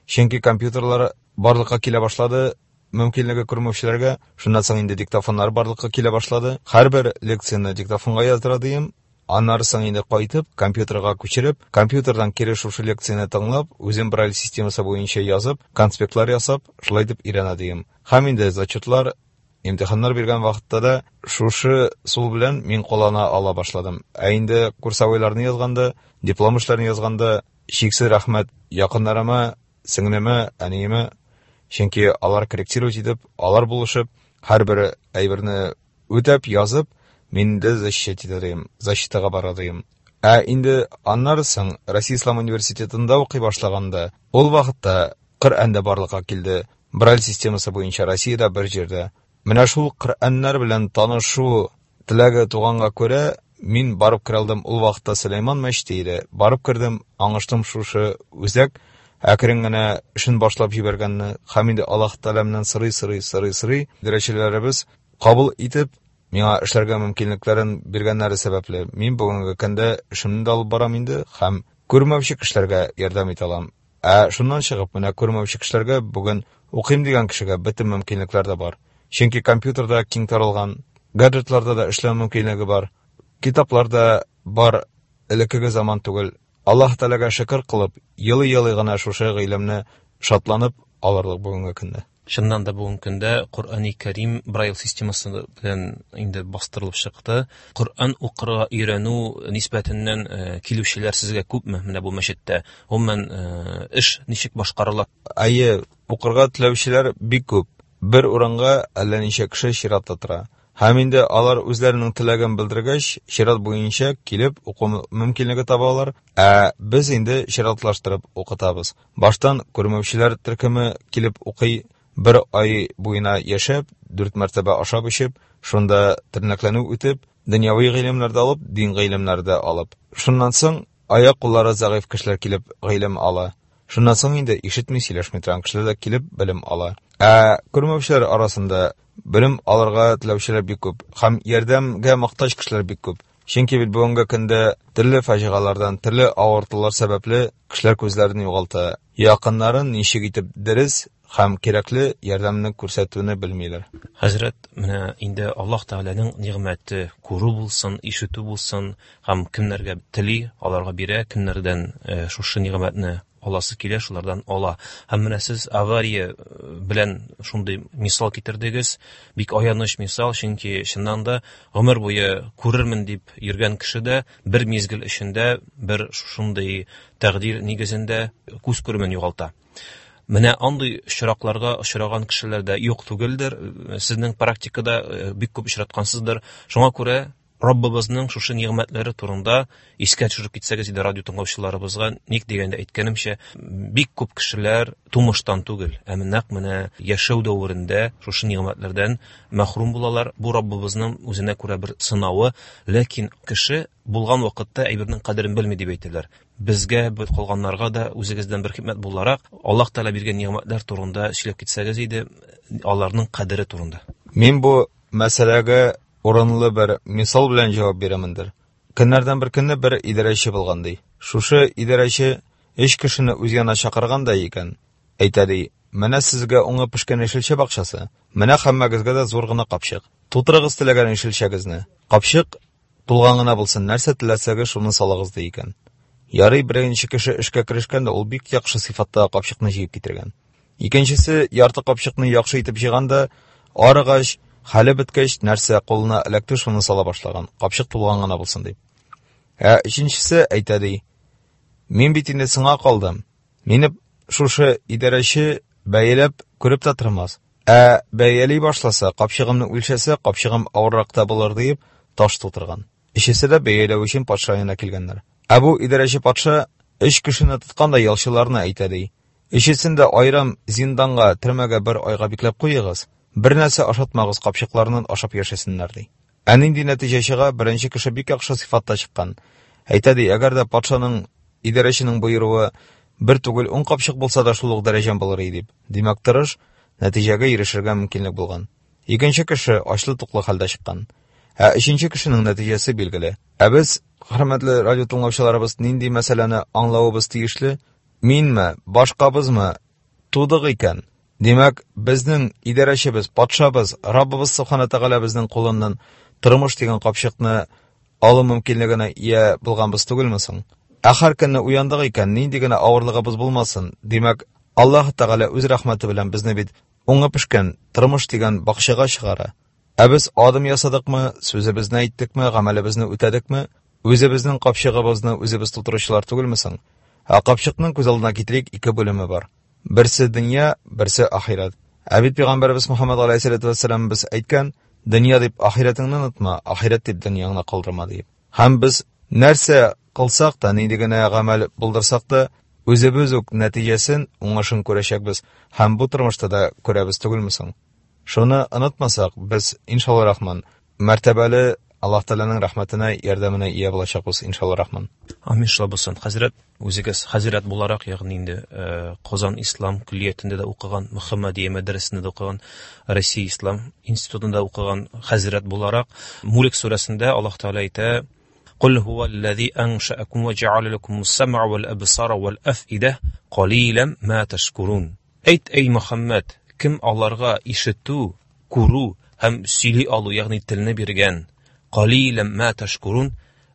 Speaker 7: Чөнки компьютерлар барлыкка килә башлады, мөмкинлеге күрмәүчеләргә. Шуннан соң инде диктофоннар барлыкка килә башлады. Һәрбер лекцияне диктофонга яздыра дим. Аннары соң инде кайтып, компьютерга күчереп, компьютердан кире шушы лекцияне тыңлап, үзем Брайль системасы буенча язып, конспектлар ясап, шулай итеп өйрәнә дим. Һәм инде зачетлар, имтиханнар биргән вакытта да шушы сул белән мин куллана ала башладым. Ә инде курсовойларны язганда, диплом эшләрен язганда, чиксез рәхмәт якыннарыма, сеңлемә, әниемә, чөнки алар корректировать итеп, алар булышып, һәрбер әйберне үтәп язып, мин дә защищать итәдем, защитага барадым. Ә инде аннары соң Россия Ислам университетында укый башлаганда, ул вакытта Коръән дә барлыкка килде. Брайль системасы буенча Россиядә бер җирдә. Менә шул Коръәннәр белән танышу теләге туганга күрә, мин барып керә алдым. Ул вакытта Сөләйман мәчете иде. Барып кердем, аңыштым шушы үзәк әкрен генә эшен башлап җибәргәнне һәм инде Аллаһ Тәгаләмнән сорый-сорый, сорый-сорый дәрәҗәләребез кабул итеп, миңа эшләргә мөмкинлекләрен биргәннәре сәбәпле, мин бүгенге көндә эшемне дә алып барам инде һәм күрмәүче кешеләргә ярдәм итә алам. Ә шуннан чыгып, менә күрмәүче кешеләргә бүген укыйм дигән кешегә бөтен мөмкинлекләр дә бар. Чөнки компьютерда киң таралган, гаджетларда да эшләү мөмкинлеге бар, китаплар да бар, элеккеге заман түгел. Аллаһ Тәгаләгә шөкер кылып, елый-елый гына шушы гыйлемне шатланып алырлык бүгенге көндә.
Speaker 4: Чыннан да бүгенге көндә Коръәни Кәрим Брайль системасы белән инде бастырылып чыкты. Коръән укырга өйрәнү нисбәтеннән, э, килүчеләр сезгә күпме менә бу мәчеттә? Гомумән, э, эш ничек башкарыла?
Speaker 7: Әйе, укырга теләүчеләр бик күп. Бер урынга әллә ничә кеше чиратта тора. Һәм инде алар үзләренең теләген белдергәч, чират буенча килеп уку мөмкинлеге табалар. Ә без инде чиратлаштырып укытабыз. Баштан күрмәүчеләр төркеме килеп укый, бер ай буена яшәп, дүрт мәртәбә ашап эчеп, шунда тернәкләнү үтеп, дөньяви гыйлемнәрдә алып, дин гыйлемнәрдә алып. Шуннан соң аяк-куллары зәгыйфь кешеләр килеп гыйлем ала. Шуннан соң инде ишетми, сөйләшми торган кешеләр дә килеп белем ала. Ә күрмәүчеләр арасында белем алырга теләүчеләр бик күп һәм ярдәмгә мохтаҗ кешеләр бик күп. Чөнки бит бүгенге көндә төрле фаҗигалардан, төрле авыртулар сәбәпле кешеләр күзләрен югалта. Якыннарын ничек итеп дөрес һәм кирәкле ярдәмне күрсәтүне белмиләр.
Speaker 4: Хәзрәт, менә инде Аллаһ Тәгаләнең нигъмәте күрү булсын, ишетү булсын һәм кемнәргә тели, аларга бирә, кемнәрдән шушы нигъмәтне аласы килә, шулардан ала. Һәм менә сез авария белән шундый мисал китердегез, бик аяныч мисал, чөнки чыннан да гомер буе күрермен дип йөргән кеше дә бер мизгел эчендә бер шундый тәкъдир нигезендә күз күремен югалта. Менә андый очракларга очраган кешеләр дә юк түгелдер, сезнең практикада бик күп очраткансыздыр. Шуңа күрә Раббыбызның шушы нигъмәтләре турында искә төшереп китсәгез иде радио тыңлаучыларыбызга, ник дигәндә әйткәнемчә, бик күп кешеләр тумыштан түгел, ә нәкъ менә яшәү дәверендә шушы нигъмәтләрдән мәхрүм булалар. Бу Раббыбызның үзенә күрә бер сынавы, ләкин кеше булган вакытта әйбернең кадерен белми дип әйтәләр. Безгә, бу калганнарга да үзегездән бер хикмәт буларак Аллаһ Тәгалә биргән нигъмәтләр турында сөйләп китсәгез иде, аларның кадере турында.
Speaker 7: Мин бу мәсьәләгә урынлы бер мисал белән җавап бирәмендер. Көннәрдән бер көнне бер идарәче булган ди. Шушы идарәче өч кешене үз янына чакырган да икән. Әйтә ди: "Менә сезгә уңып пешкән яшелчә бакчасы, менә һәммәгезгә дә зур гына капчык. Тутырыгыз теләгән яшелчәгезне. Капчык тулган гына булсын, нәрсә теләсәгез шуны салыгыз" ди икән. Ярый, беренче кеше эшкә керешкән дә ул бик яхшы сыйфатта капчыкны җыеп китергән. Икенчесе ярты капчыкны яхшы итеп җыйган да, арыгач, хәле беткәч, нәрсә кулына эләкте шуны сала башлаган. Капчык тулган гына булсын дип. Ә өченчесе әйтә ди: "Мин бит инде сиңа калдым. Мине шушы идарәче бәяләп күреп тә тормас. Ә бәяли башласа, капчыгымны үлчәсә, капчыгым авыррак та булыр" дип таш тутырган. Өчесе дә бәяләү өчен патша янына килгәннәр. Ә бу идарәче патша өч кешене тоткан да ялчыларны әйтә ди: "Өчесен дә аерым зинданга, төрмәгә бер айга бикләп куегыз. Бер нәрсә ашатмагыз, капчыкларыннан ашап яшәсеннәр" ди. Ә нинди нәтиҗә чыга? Беренче кеше бик яхшы сыйфатта чыккан. Әйтә ди: "Әгәр дә патшаның, идарәченең боеруы бер түгел ун капчык булса да шул ук дәрәҗәм булыр иде" дип. Димәк, тырыш, нәтиҗәгә ирешергә мөмкинлек булган. Икенче кеше ачлы-туклы хәлдә чыккан. Ә өченче кешенең нәтиҗәсе билгеле. Ә без, хөрмәтле радио тыңлаучыларыбыз, нинди мәсьәләне аңлавыбыз тиешле? Минме, башкабызмы тудык икән? Димәк, безнең идарәчебез, патшабыз, Раббыбыз Субхана Тәгалә безнең кулыннан тормыш дигән капчыкны алу мөмкинлегенә ия булганбыз түгелме соң? Ә һәр көнне уяндык икән, нинди генә авырлыгыбыз булмасын, димәк, Аллаһ Тәгалә үз рәхмәте белән безне бит уңып пешкән тормыш дигән бакчага чыгара. Ә без адым ясадыкмы, сүзебезне әйттекме, гамәлебезне үтәдекме? Үзебезнең капчыгыбызны үзебез тутыручылар түгелме соң? Ә капчыкның күз алдына китерик, ике бүлеме бар. Берсе дөнья, берсе ахирәт. Ә бит пәйгамбәребез Мухаммад алейһиссалату вассалам без әйткән, дөнья дип ахирәтеңне онытма, ахирәт дип дөньяңны калдырма дип. Һәм без нәрсә кылсак та, нинди генә гамәл булдырсак та, үзебез үк нәтиҗәсен, уңышын күрәчәкбез һәм бу тормышта да күрәбез түгелме соң? Шуны онытмасак, без иншалла рахман мәртәбәле Аллаһ Тәгаләнең рәхмәтенә, ярдәменә ия булачакбыз иншалла рахман.
Speaker 4: Амин, шулай булсын. Хәзрәт, үзегез хәзрәт буларак, ягъни инде Казан ислам көллиятендә дә укыган, Мөхәммәдия мәдрәсәсендә дә укыган, Россия ислам институтында укыган хәзрәт буларак, Мулк сүрәсендә Аллаһ Тәгалә әйтә: "Кул һуаллази аншаакум ва җа'аля лакумус сам'a вал абсара вал афида калилан ма ташкурун". Әйт, эй Мөхәммәд, кем аларга ишетү, күрү һәм сөйли алу, ягъни телне биргән, калилан ма ташкурун,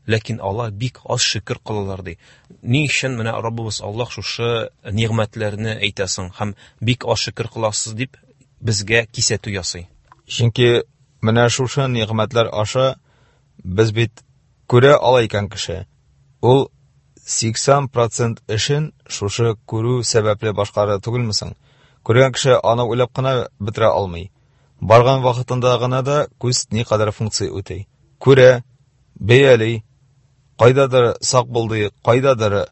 Speaker 4: ләкин алар бик аз шөкер кылалар ди. Ни өчен менә Раббыбыз Аллаһ шушы нигъмәтләрне әйтәсең һәм бик аз шөкер кыласыз дип безгә кисәтү ясый?
Speaker 7: Чөнки менә шушы нигъмәтләр аша без бит күрә ала икән кеше. Ул сиксән процент эшен шушы күрү сәбәпле башкара түгелме соң? Күргән кеше аны уйлап кына бетерә алмый. Барган вакытында гына да күз никадәр функция үти. Күрә, бәяли, кайдадыр сак булды, кайдадыр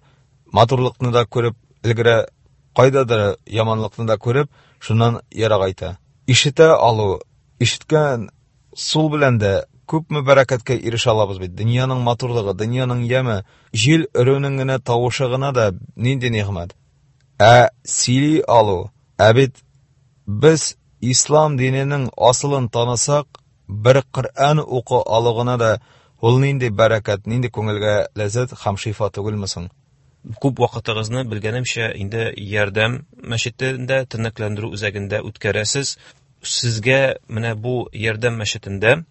Speaker 7: матурлыкны да күреп өлгерә, кайдадыр яманлыкны да күреп, шуннан ерак айта. Ишетә алу, ишеткән сул белән дә күпме бәрәкәткә ирешә алабыз бит. Дөньяның матурлыгы, дөньяның яме, җил өрүнең генә тавышы гына да нинди нигъмәт. Ә сөйли алу, ә бит без ислам диненең асылын танысак, бер Коръән уку алу гына да ул нинди бәрәкәт, нинди күңелгә ләззәт һәм шифа түгелме соң?
Speaker 4: Күп вакытыгызны, белгәнемчә, инде Ярдәм мәчетендә, тернәкләндерү үзәгендә үткәрәсез. Сезгә менә бу Ярдәм мәчетендә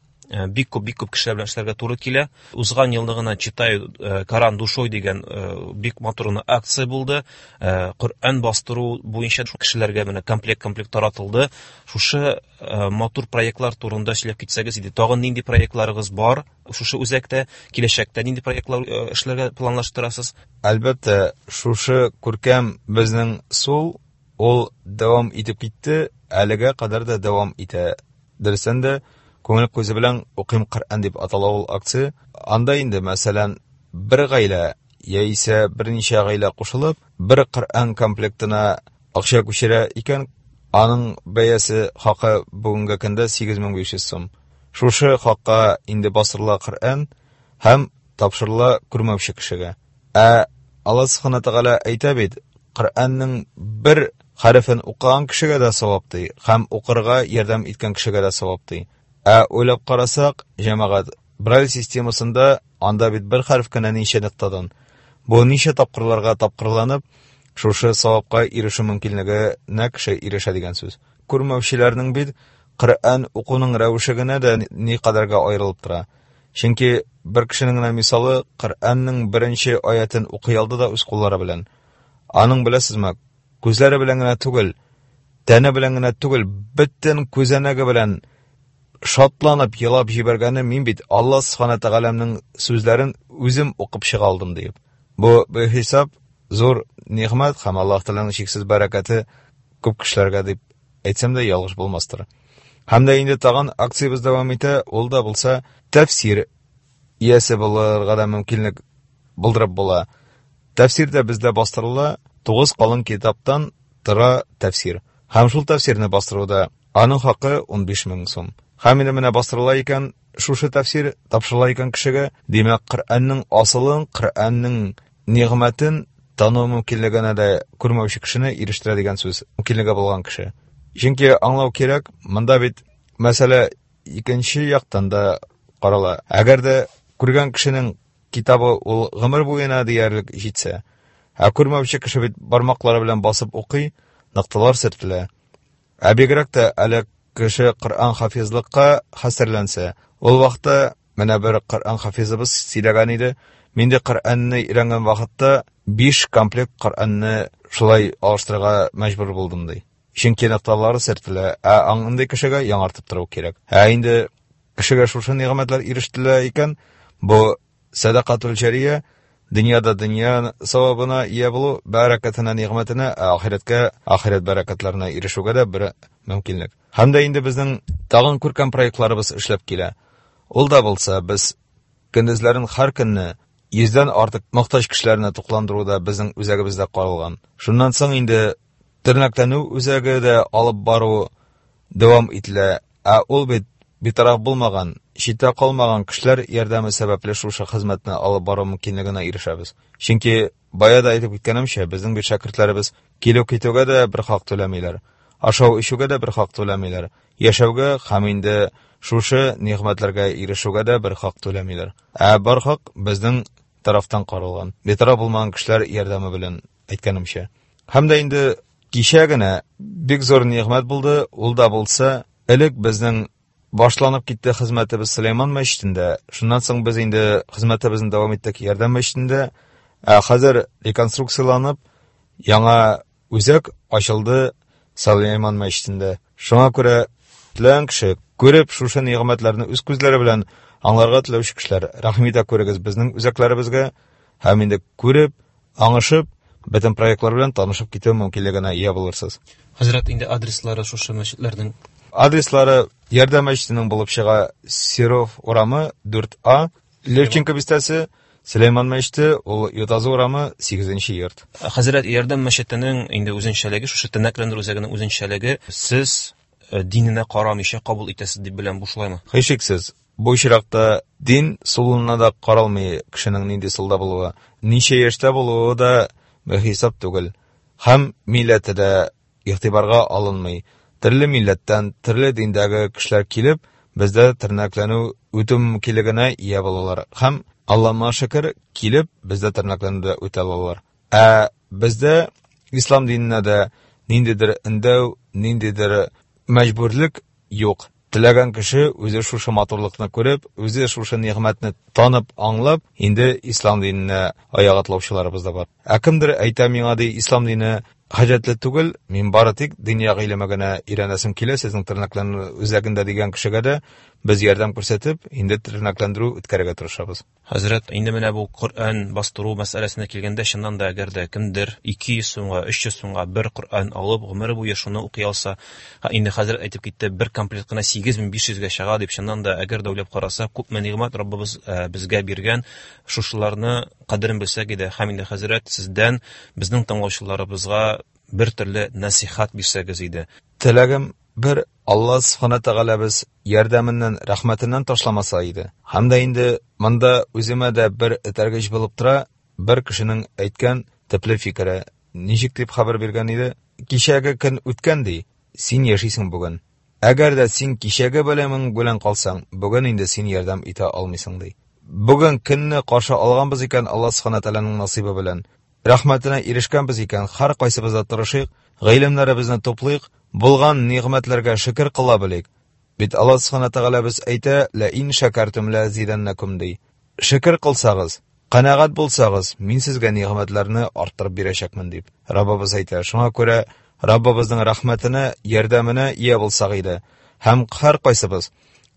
Speaker 4: бик күп, бик күп кешеләр белән эшләргә туры килә. Узган елны гына Читаю Коран душой дигән бик матур гына акция булды. Коръән бастыру буенча кешеләргә менә комплект-комплект таратылды. Шушы матур проектлар турында сөйләп китсәгез иде. Тагын нинди проектларыгыз бар шушы үзәктә? Киләчәктә нинди проектлар эшләргә планлаштырасыз?
Speaker 7: Әлбәттә, шушы күркәм безнең сул, ул дәвам итеп китте, әлегә кадәр дә дәвам итә. Дөрестән дә, күңел күзе белән укыйм Коръән дип атала ул акция. Анда инде, мәсәлән, бер гаилә яисә берничә гаилә кушылып, бер Коръән комплектына акча күчерә икән, аның бәясе хакы бүгенге көндә сигез мең биш йөз сум. Шушы хакка инде бастырыла Коръән һәм тапшырыла күрмәүче кешегә. Ә Аллаһ Субхана Тәгалә әйтә бит, Коръәннең бер хәрефен укыган кешегә дә савап ди, һәм укырга ярдәм иткән кешегә дә савап ди. Ә уйлап карасак, җәмәгать, Брайль системасында анда бит бер хәреф кенә ничә ноктадан. Бу ничә тапкырларга тапкырланып, шушы савапка ирешү мөмкинлегенә кеше ирешә дигән сүз. Күрмәүчеләрнең бит Коръән укуның рәвеше генә дә ни кадәргә аерылып тора. Чөнки бер кешенең генә мисалы Коръәннең беренче аятен укый алды да үз куллары белән. Аның беләсезме, күзләре белән генә түгел, тәне белән генә түгел, бөтен күзәнәге белән шатланып елап җибәргәне, мин бит Аллаһ Субхана Тәгаләнең сүзләрен үзем укып чыга алдым диеп. Бу бихисап зур нигъмәт һәм Аллаһ Тәгаләнең чиксез бәрәкәте күп кешеләргә дип әйтсәм дә ялгыш булмастыр. Һәм дә инде тагын акциябез дәвам итә, ул да булса тәфсир иясе булырга да мөмкинлек булдырып була. Тәфсир дә бездә бастырыла, тугыз калын китаптан тора тәфсир. Һәм шул тәфсирне бастыруда аның хакы унбиш мең сум. Һәм инде менә бастырыла икән, шушы тәфсир тапшырыла икән кешегә, димәк, Коръәннең асылын, Коръәннең нигъмәтен тану мөмкинлегенә дә күрмәүче кешене ирештерә дигән сүз, мөмкинлеге булган кеше. Чөнки аңлау кирәк, монда бит мәсьәлә икенче яктан да карала. Әгәр дә күргән кешенең китабы ул гомер буена диярлек җитсә, ә күрмәүче кеше бит бармаклары белән басып укый, нокталар сөртелә. Ә бигрәк тә әле кеше Коръән хафизлыкка хәстәрләнсә, ул вакытта менә бер Коръән хафизыбыз сөйләгән иде, мин дә Коръәнне өйрәнгән вакытта биш комплект Коръәнне шулай алыштырырга мәҗбүр булдым ди. Чөнки нокталары сөртелә, ә андый кешегә яңартып тору кирәк. Ә инде кешегә шушы нигъмәтләр ирештелә икән, бу сәдакатул җария, дөньяда дөнья савабына ия булу, бәрәкәтенә, нигъмәтенә, ә ахирәткә, ахирәт бәрәкәтләренә ирешүгә дә бер мөмкинлек. Һәм дә инде безнең тагын күркәм проектларыбыз эшләп килә. Ул да булса, без көндезләрен һәр көнне йөздән артык мохтаҗ кешеләрне тукландыруда безнең үзәгебездә каралган. Шуннан соң инде тернәкләнү үзәге дә алып бару дәвам ителә. Ә ул бит битараф булмаган, читтә калмаган кешеләр ярдәме сәбәпле шушы хезмәтне алып бару мөмкинлегенә ирешәбез. Чөнки бая да әйтеп үткәнемчә, безнең бит шәкертләребез килү китүгә дә бер хак түләмиләр, ашау эчүгә дә бер хак түләмиләр, яшәүгә һәм инде шушы нигъмәтләргә ирешүгә дә бер хак түләмиләр. Ә бар хак безнең тарафтан каралган, битараф булмаган кешеләр ярдәме белән әйткәнемчә. Һәм дә инде кичә генә бик зур нигъмәт булды, ул да булса, элек безнең башланып китте хезмәтебез Сөләйман мәчетендә. Шуннан соң без инде хезмәтебезне дәвам иттек Ярдәм мәчетендә. Ә хәзер реконструкцияланып, яңа үзәк ачылды Сөләйман мәчетендә. Шуңа күрә теләгән кеше күреп шушы нигъмәтләрне үз күзләре белән аңларга теләүче кешеләр, рәхим итә күрегез безнең үзәкләребезгә һәм инде күреп, аңышып, бөтен проектлар белән танышып китү мөмкинлегенә ия булырсыз.
Speaker 4: Хәзрәт, инде адреслары шушы мәчетләрнең?
Speaker 7: Адреслары Ярдәм мәчетенең булып чыга Серов урамы дүрт А, Левченко бистәсе, Сөләйман мәчете, ул Ютазы урамы сигезенче йорт.
Speaker 4: Хәзрәт, Ярдәм мәчетенең инде үзенчәлеге, шушы тернәкләндерү үзәгенең үзенчәлеге, сез диненә карамыйча кабул итәсез дип беләм, бу шулаймы?
Speaker 7: Һичшиксез. Бу очракта дин сулына да каралмый кешенең нинди сулда булуы, ничә яшьтә булуы да бихисап түгел. Һәм милләте дә игътибарга алынмый. Төрле милләттән, төрле диндәге кешеләр килеп, бездә тернәкләнү үтү мөмкинлегенә ия булалар. Һәм Аллаһка шөкер, килеп бездә тернәкләнүдә үтә алалар. Ә бездә ислам диненә дә ниндидер өндәү, ниндидер мәҗбүрлек юк. Теләгән кеше үзе шушы матурлыкны күреп, үзе шушы нигъмәтне танып, аңлап, инде ислам диненә аяк атлаучыларыбыз да бар. Ә кемдер әйтә миңа ди, ислам дине хаҗәтле түгел, мин бары тик дөнья гыйлеме генә өйрәнәсем килә, сезнең тернәкләнү үзәгендә дигән кешегә дә без ярдәм күрсәтеп, инде тернәкләндерү үткәрергә тырышабыз.
Speaker 4: Хәзрәт, инде менә бу Коръән бастыру мәсьәләсенә килгәндә, чыннан да әгәр дә кемдер ике йөз сумга, өч йөз сумга бер Коръән алып, гомере буе шуны укый алса, инде хәзрәт әйтеп китте, бер комплект кына сигез мең биш йөзгә чыга дип, чыннан да әгәр дә уйлап караса, күпме нигъмәт Раббыбыз безгә биргән, шушыларны кадерен белсәк иде. Һәм инде хәзрәт, сездән безнең тыңлаучыларыбызга бер төрле насихат бирсәгез иде.
Speaker 7: Теләгем бер, Алла Субхана Тәгаләбез ярдәменнән, рәхмәтеннән ташламаса иде. Һәм дә инде монда үземә дә бер этәргеч булып тора, бер кешенең әйткән төпле фикере. Ничек дип хәбәр биргән иде? Кичәге көн үткән ди, син яшисең бүген. Әгәр дә син кичәге белемең белән калсаң, бүген инде син ярдәм итә алмыйсың ди. Бүген көнне каршы алганбыз икән Алла Субхана Тәгаләнең насыйбы белән, рәхмәтенә ирешкәнбез икән, һәр кайсыбыз да тырышыйк, гыйлемнәребезне туплыйк, булган нигъмәтләргә шөкер кыла белик. Бит Алла Субхана Тәгаләбез әйтә, «Ла ин шәкәртум ла зиданнакум» ди. Шөкер кылсагыз, канәгать булсагыз, мин сезгә нигъмәтләрне арттырып бирәчәкмен дип Раббыбыз әйтә. Шуңа күрә Раббыбызның рәхмәтенә, ярдәменә ия булсак иде. Һәм һәр кайсыбыз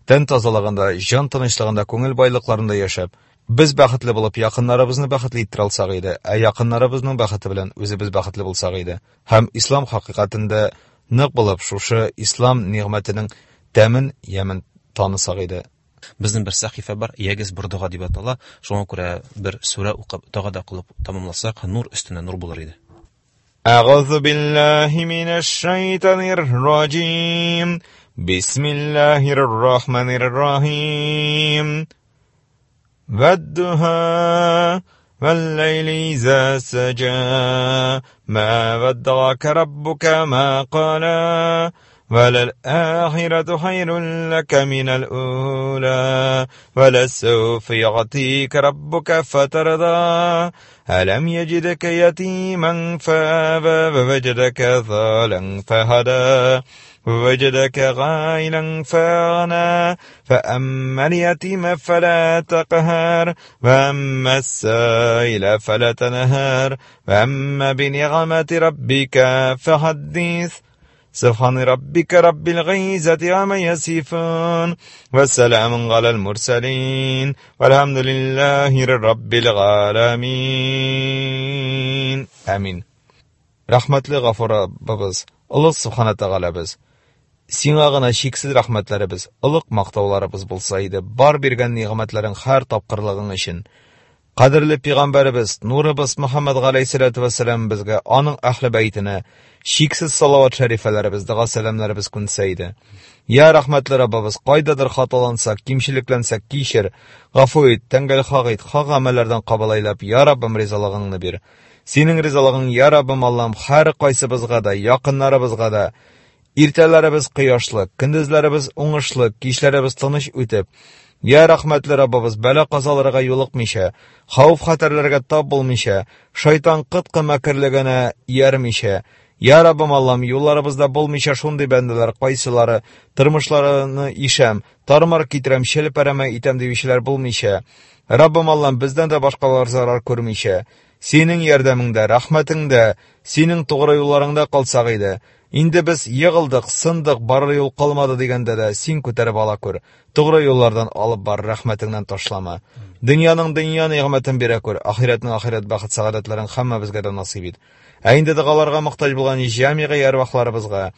Speaker 7: тән тазалыгында, җан тынычлыгында, күңел байлыкларында яшәп, без бәхетле булып, якыннарыбызны бәхетле иттерә алсак иде, ә якыннарыбызның бәхете белән үзебез бәхетле булсак иде. Һәм ислам хакыйкатендә нык булып, шушы ислам нигъмәтенең тәмен, ямен танысак иде.
Speaker 4: Безнең бер сәхифә бар, Ягез бер дога дип атала. Шуңа күрә бер сүрә укып, дога да кылып тамамласак, нур өстенә нур булыр иде.
Speaker 7: Әгъузу биллаһи минәш шайтанир раҗим. Бисмиллаһир рахманир рахим. والضحى والليل إذا سجى ما ودعك ربك ما قلى وللآخرة خير لك من الأولى ولسوف يعطيك ربك فترضى ألم يجدك يتيما فآوى ووجدك ضالا فهدى ووجدك غائلا فأغنى فأما اليتيم فلا تقهر وأما السائل فلا تنهر وأما بنعمة ربك فحدث سبحان ربك رب العزة عما يصفون والسلام على المرسلين والحمد لله رب العالمين. آمين. Рәхмәтле Гафур Раббыбыз, Олуг Субхана Тәгаләбез, сиңа гына чиксез рәхмәтләребез, олуг мактауларыбыз булса иде, бар биргән нигъмәтләрең һәр тапкырлыгың өчен. Кадерле пәйгамбәребез, нурыбыз Мөхәммәд галәйһиссәлату вәссәлам безгә, аның әһле бәйтенә чиксез салават шәрифәләребез, дога сәламнәребез күнсә иде. Я рәхмәтле Раббыбыз, кайдадыр хаталансак, кимчелекләнсәк, кичер, гафу ит, тәңгәл хак ит, хак гамәлләрдән кабул әйләп, я Раббым ризалыгыңны бир. Синең ризалыгың, я Раббым Аллам, һәр кайсыбызга да, якыннарыбызга да, иртәләребез кояшлы, көндезләребез уңышлы, кичләребез тыныч үтеп, я рәхмәтле Раббыбыз, бәла-казаларга юлыкмыйча, хәвеф-хәтәрләргә тап булмыйча, шайтан кыткы мәкерлегенә иярмичә, я Раббым Аллам, юлларыбызда булмыйча шундый бәндәләр, кайсылары тормышларны ишәм, тармар китерәм, челпәрәмә итәм диючеләр булмыйча, Раббым Аллам, бездән дә башкалар зарар күрмичә, синең ярдәмеңдә, рәхмәтеңдә, синең тугры юлларыңда калсак иде. Инде без егылдык, сындык, барыр юл калмады дигәндә дә син күтәреп ала күр. Тугры юллардан алып бар, рәхмәтеңнән ташлама. Дөньяның дөнья нигъмәтен бирә күр, ахирәтнең ахирәт бәхет сәгадәтләрен һәммәбезгә дә насыйп ит. Ә инде догаларга мохтаҗ булган җәмигый әрвахларыбызга,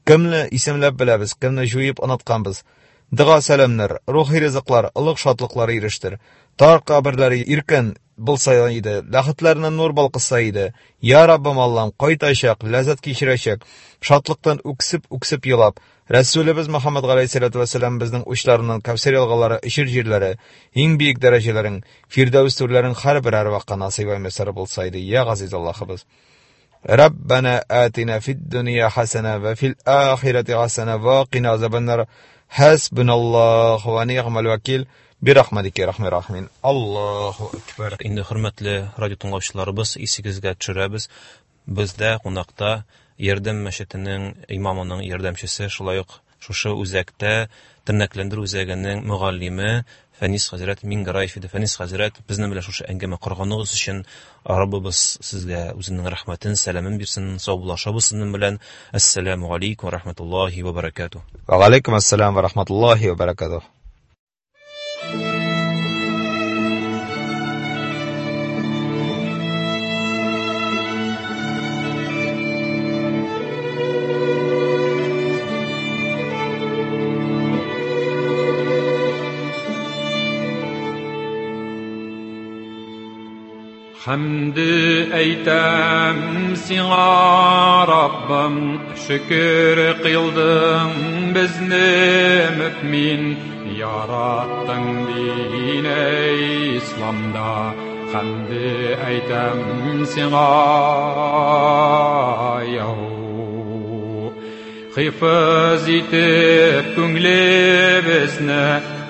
Speaker 7: кемне исемләп беләбез, кемне җуеп онытканбыз, дога сәламнәр, рухи ризыклар, олуг шатлыклар ирештер. Тар каберләре иркен булса иде, ләхетләренә нур балкыса иде. Я Раббым Аллам, кайтачак, ләззәт кичерәчәк, шатлыктан үксеп-үксеп елап, Рәсүлебез Мөхәммәд галәйһиссәлату вәссәлам безнең учларыннан Кәүсәр елгалары, эчер җирләре, иң бөек дәрәҗәләрең, Фирдәүс түрләрең һәрбер әрвахка насыйп мөяссәр булса иде. Я газиз Аллаһыбыз. ربنا آتنا في الدنيا حسنة وفي الآخرة حسنة وقنا عذاب النار. حسبنا الله ونعم الوكيل برحمتك يا أرحم الراحمين. الله أكبر.
Speaker 4: Инде хөрмәтле радио тыңлаучыларыбыз, исегезгә төшерәбез, бездә кунакта Ярдәм мәчетенең имамының ярдәмчесе, шулай ук шушы үзәктә тернәкләндерү үзәгенең мөгаллиме Фәнис хәзрәт Мингәраев иде. Фәнис хәзрәт, безнең белән шушы әңгәмә корганыгыз өчен Раббыбыз сезгә үзенең рәхмәтен, сәламен бирсен. Саубуллашабыз сезнең белән. Ассаламу алейкум ва рахматуллахи ва баракатуһ.
Speaker 7: Ва алейкум ассалам ва рахматуллахи ва баракатуһ.
Speaker 6: Hamdi eytem sina Rabbim, şükür kıldım bizni mümin, yarattın dine İslam'da. Hamdi eytem sina yahu. Hıfız itip küngli bizni,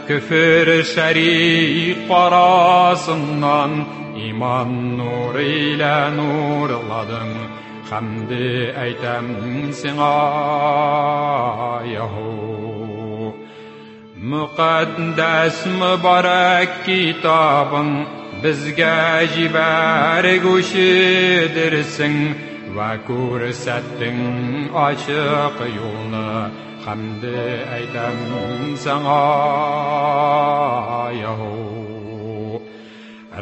Speaker 6: küfür şerik parasından, İman nuru ile nurladın. Hamdi eytem sina yahu. Mukaddes mübarek kitabın bizge jiberguşidirsin ve kursettin açık yolunu. Hamdi eytem sana yahu.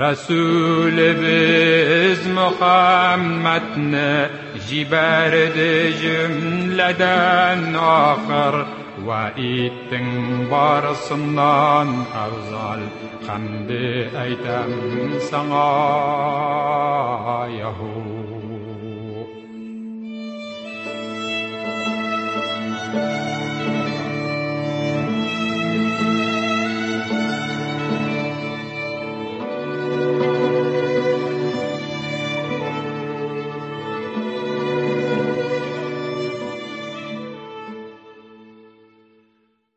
Speaker 6: Resulimiz Muhammed'ni jiberdi cümleden ahir ve ittin barısından evzal. Hamdi eytem sana yahu.